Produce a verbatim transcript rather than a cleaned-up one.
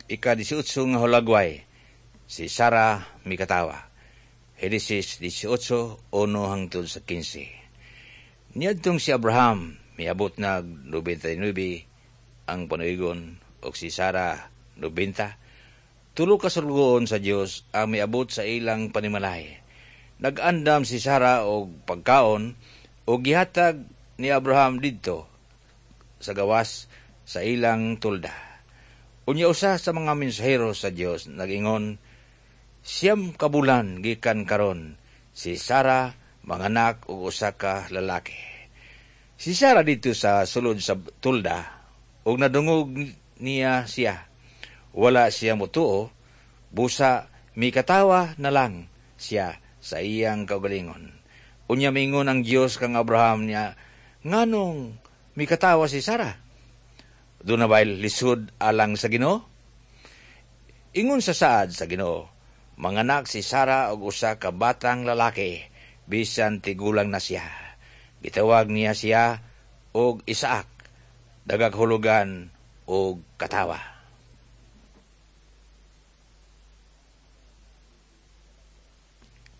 Ika-diesotso nga hulagway, si Sara mikatawa. Henesis diesotso, uno hangtod sa kinse. Niadtong si Abraham miabot nag nobenta y nuebe ang panuigon ug si Sara nobenta. Tulo ka sulugoon sa Dios ang miabot sa ilang panimalay. Nag-andam si Sara og pagkaon ug gihatag ni Abraham didto sa gawas sa ilang tolda. Unya usa sa mga mensahero sa Dios nag-ingon, "Siyam ka bulan gikan karon si Sara manganak og usa ka lalaki." Si Sara didto sa sulod sa tolda ug nadungog niya siya. Wala siya motuo, busa mikatawa na lang siya sa iyang kaugalingon. Unya mingon ang Dios kang Abraham niya, "Nganong mikatawa si Sara? Duna ba'y lisod alang sa Ginoo? Ingon sa saad sa Ginoo, manganak si Sara og usa ka batang lalaki bisan tigulang na siya. Gitawag niya siya og Isaac, nagahulugan og katawa."